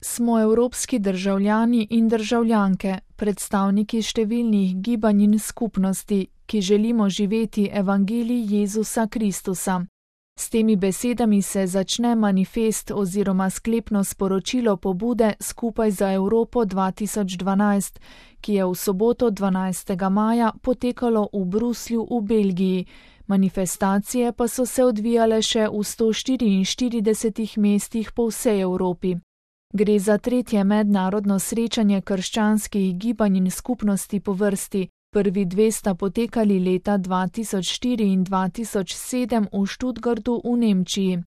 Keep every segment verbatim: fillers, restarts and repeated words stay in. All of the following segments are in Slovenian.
Smo evropski državljani in državljanke, predstavniki številnih gibanj in skupnosti, ki želimo živeti evangelij Jezusa Kristusa. S temi besedami se začne manifest oziroma sklepno sporočilo pobude Skupaj za Evropo dva tisoč dvanajst, ki je v soboto dvanajstega maja potekalo v Bruslju v Belgiji. Manifestacije pa so se odvijale še v sto štiriinštiridesetih mestih po vsej Evropi. Gre za tretje mednarodno srečanje krščanskih gibanj in skupnosti po vrsti. Prvi dve sta potekali leta dva tisoč štiri in dva tisoč sedem v Stuttgartu v Nemčiji.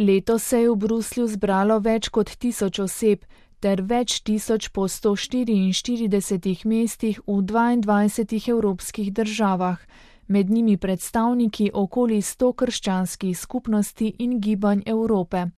Letos se je v Bruslju zbralo več kot tisoč oseb ter več tisoč po sto štiriinštiridesetih mestih v dvaindvajsetih evropskih državah, med njimi predstavniki okoli sto krščanskih skupnosti in gibanj Evrope.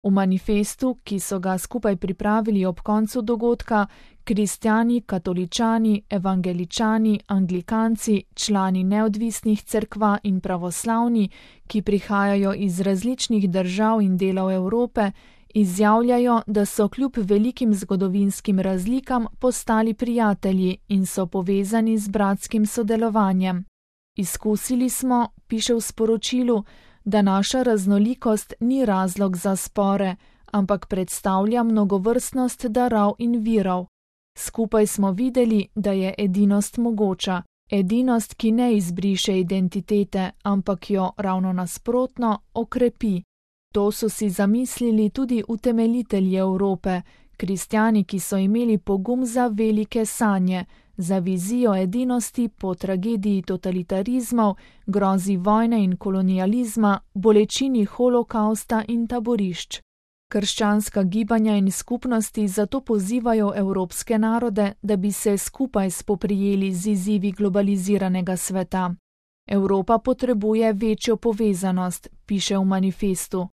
V manifestu, ki so ga skupaj pripravili ob koncu dogodka, kristjani, katoličani, evangeličani, anglikanci, člani neodvisnih cerkva in pravoslavni, ki prihajajo iz različnih držav in delov Evrope, izjavljajo, da so kljub velikim zgodovinskim razlikam postali prijatelji in so povezani z bratskim sodelovanjem. Izkusili smo, piše v sporočilu, da naša raznolikost ni razlog za spore, ampak predstavlja mnogovrstnost darov in virov. Skupaj smo videli, da je edinost mogoča, edinost, ki ne izbriše identitete, ampak jo ravno nasprotno okrepi. To so si zamislili tudi utemeljitelji Evrope, kristjani, ki so imeli pogum za velike sanje, za vizijo edinosti po tragediji totalitarizmov, grozi vojne in kolonializma, bolečini holokausta in taborišč. Krščanska gibanja in skupnosti zato pozivajo evropske narode, da bi se skupaj spoprijeli z izzivi globaliziranega sveta. Evropa potrebuje večjo povezanost, piše v manifestu.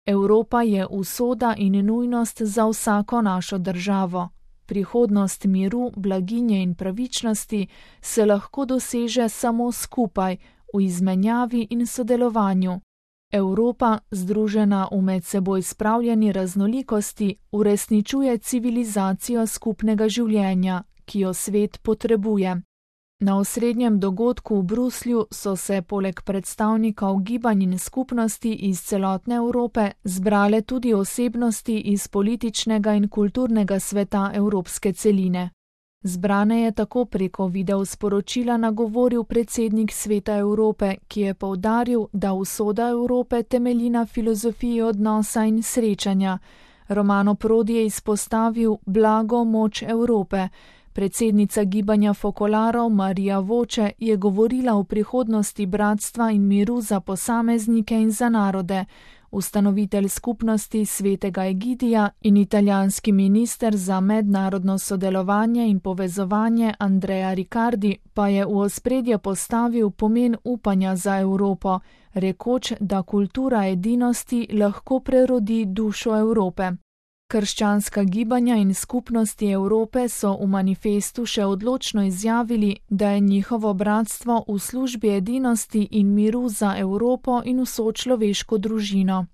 Evropa je usoda in nujnost za vsako našo državo. Prihodnost miru, blaginje in pravičnosti se lahko doseže samo skupaj, v izmenjavi in sodelovanju. Evropa, združena v med seboj spravljeni raznolikosti, uresničuje civilizacijo skupnega življenja, ki jo svet potrebuje. Na osrednjem dogodku v Bruslju so se poleg predstavnikov gibanj in skupnosti iz celotne Evrope zbrale tudi osebnosti iz političnega in kulturnega sveta evropske celine. Zbrane je tako preko video sporočila nagovoril predsednik Sveta Evrope, ki je poudaril, da usoda Evrope temelji na filozofiji odnosa in srečanja. Romano Prodi je izpostavil blago moč Evrope. Predsednica gibanja Fokolarov Marija Voče je govorila o prihodnosti bratstva in miru za posameznike in za narode. Ustanovitelj skupnosti svetega Egidija in italijanski minister za mednarodno sodelovanje in povezovanje Andrea Riccardi pa je v ospredje postavil pomen upanja za Evropo, rekoč, da kultura edinosti lahko prerodi dušo Evrope. Krščanska gibanja in skupnosti Evrope so v manifestu še odločno izjavili, da je njihovo bratstvo v službi edinosti in miru za Evropo in vso človeško družino.